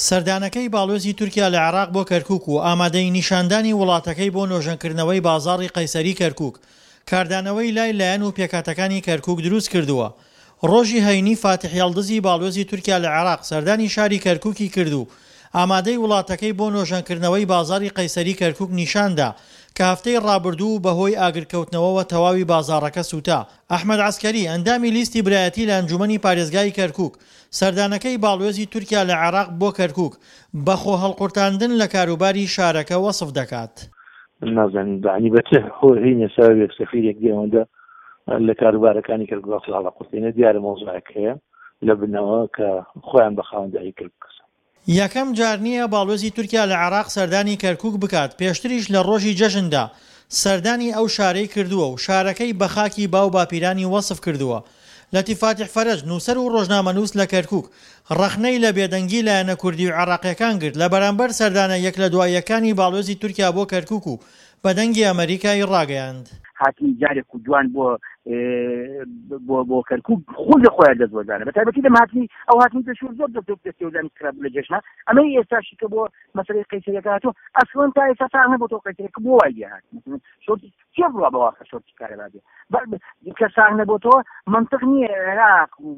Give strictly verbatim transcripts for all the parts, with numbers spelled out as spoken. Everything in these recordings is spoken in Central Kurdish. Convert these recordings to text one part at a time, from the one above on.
سەردانەکەی باڵیۆزی تورکیا لە عێراق بۆ کەرکوک و ئامادەیی نیشاندانی وڵاتەکەی بۆ نۆژەنکردنەوەی بازاڕی قەیسەری کەرکوک، کاردانەوەی لای لایەن و پێکهاتەکانی کەرکوک دروست کردووە. ڕۆژی هەینی فاتیح یەڵدزی باڵیۆزی تورکیا لە عێراق سەردانی شاری کەرکوکی کرد و ئامادەی وڵاتەکەی بۆ نۆژەنکردنەوەی بازاڕی قەیسەری کەرکوک نیشاندا کە هەفتەی ڕابردوو بەهۆی ئاگرکەوتنەوەوە تەواوی بازاڕەکە سووتا. ئەحمەد عەسکەری، ئەندامی لیستی برایەتی لە ئەنجوومەنی پارێزگای کەرکوک، سەردانەکەی باڵوێزی تورکیا لە عێراق بۆ کەرکوک بە خۆهەڵقورتاندن لە کاروباری شارەکە وەسف دەکات. من نازانم یەعنی بە چ هۆ هینێ سەبەبێک سەفیرێک دێ ئەوەندە لە کاروبارەکانی کەرکوک خۆ هەڵەقورتێنێ. دیارە مەوزوعێک هەیە لە بنەوە کە خۆیان بە خاوەنداری کەرکوک کەسن. یەکەم جار نییە باڵوێزی تورکیا لە عێراق سەردانی کەرکوک بکات، پێشتریش لە ڕۆژی جەژندا سەردانی ئەو شارەی کردووە و شارەکەی بە خاکی باو باپیرانی وەسف کردووە. لەتیف فاتیح فەرەج، نووسەر و ڕۆژنامەنووس لە کەرکوک، ڕەخنەی لە بێدەنگی لایەنە کوردی و عێراقییەکان گرت لە بەرامبەر سەردانە یەک لە دوا یەکانی باڵوێزی تورکیا بۆ کەرکوک و بە دەنگی ئەمەریکای ڕاگەیاند. هاتنی جارێک و دوان بۆ بۆ بۆ کەرکوک خۆی لە خۆیان دەستوەردانە، بە تایبەتی لەم هاتنی ئەو هاتنی پێشوو زۆر دەست دەستێوەردانی خراپ لە جێژنا. ئەمەی ئێستاشی کە بۆ مەسەلەی قەیسەریەکە هاتووە، ئەسڵەن تا ئێستا ساغ نەبووەوە قەیسەریەکە بۆ وای لێ هات. مثلا شۆرتی کێ بڕوا بەوە کە شۆرتی کارەبا بێ؟ کە ساغ نەبووەوە منطق نییە. عێراق و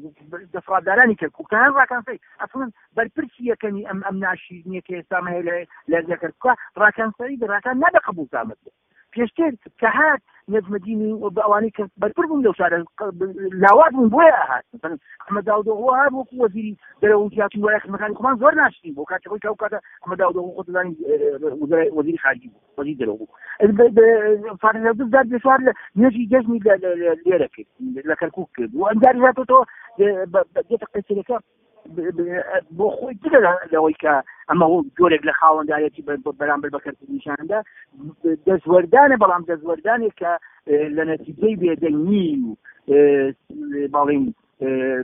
دەسەڵاتدارانی کەرکوک تەنها ڕاکان سەعید ئەسڵەن بەرپرسی یەکەمی ئەم ئەم ناشیرینیە کە ئێستا هەیە لە لە کەرکوکە ڕاکان سەعید. ڕاکان نابێ قبوڵ زامەت بێ. پێشتر کە هات نەجمەدینی و بە ئەوانەی کە بەرپر بوون لەو شارە لاواز بوون، بۆیە هات. مثلا ئەحمەد داودئۆغڵو هات وەکو وەزیری دەرەوە و جیاتی وایە خزمەکانی خۆمان زۆر ناشرین بوو کاتی خۆی کە ئەو کاتە ئەحمەد داودئۆغڵو خۆت دەزانی وەزیری خارجی بوو، وەزیری دەرەوە بوو. فاتح یەڵدز دار پێشوار لە نوێژی جەژنی لێرە کرد، لە کەرکوک کرد و ئەنجاری هاتۆتەوە دێتە قەیسەریەکە بۆ خۆی. جگە لەوەی کە ئەمە جۆرێک لە خاوەندارێتی بەرامبەر بە کەرکوک نیشاندا دەستوەردانە، بەڵام دەستوەردانێک کە لە نەتیجەی بێدەنگی و باڵین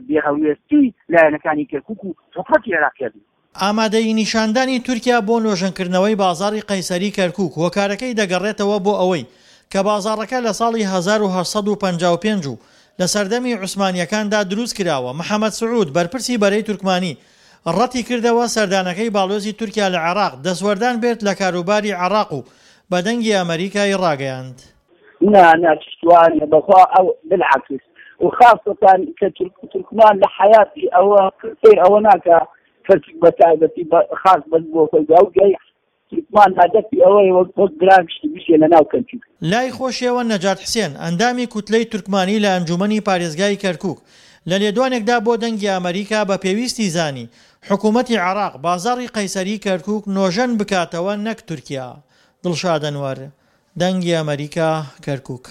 بێهەڵوێستی لایەنەکانی کەرکوک و حکومەتی عێراقیە بوو. ئامادەیی نیشاندانی تورکیا بۆ نۆژەنکردنەوەی بازاڕی قەیسەری کەرکوک هۆکارەکەی دەگەڕێتەوە بۆ ئەوەی کە بازاڕەکە لە ساڵی هەزار و هەشت سەد و پەنجا و پێنج و لە سەردەمی عوسمانییەکاندا دروست کراوە. محەمەد سعود، بەرپرسی بەرەی تورکمانی، ڕەتی کردەوە سەردانەکەی باڵیۆزی تورکیا لە عێراق دەستوەردان بێت لە کاروباری عێراق و بە دەنگی ئەمەریکای ڕاگەیاند. نا نا چشتوانە بەخوا ئەو بالعکس و خاصة کە تورکمان لە حیاتی ئەوە سەیر ئەوە ناکا کەرکوک بە تایبەتی خاص بەس بۆ خۆی ئەو گەی تورکمان هەدەفی ئەوەیە وەک وەک برا گشتی بشێ لە ناو کەرکوک. لای خۆشیەوە نەجات حسێن، ئەندامی کوتلەی تورکمانی لە ئەنجومەنی پارێزگای کەرکوک، لە لێدوانێکدا بۆ دەنگی ئەمەریکا بە پێویستی زانی حکومەتی عێراق بازاڕی قەیسەری کەرکوک نۆژەن بکاتەوە نەک تورکیا. دڵشاد ئەنوەر، دەنگی ئەمەریکا، کەرکوک.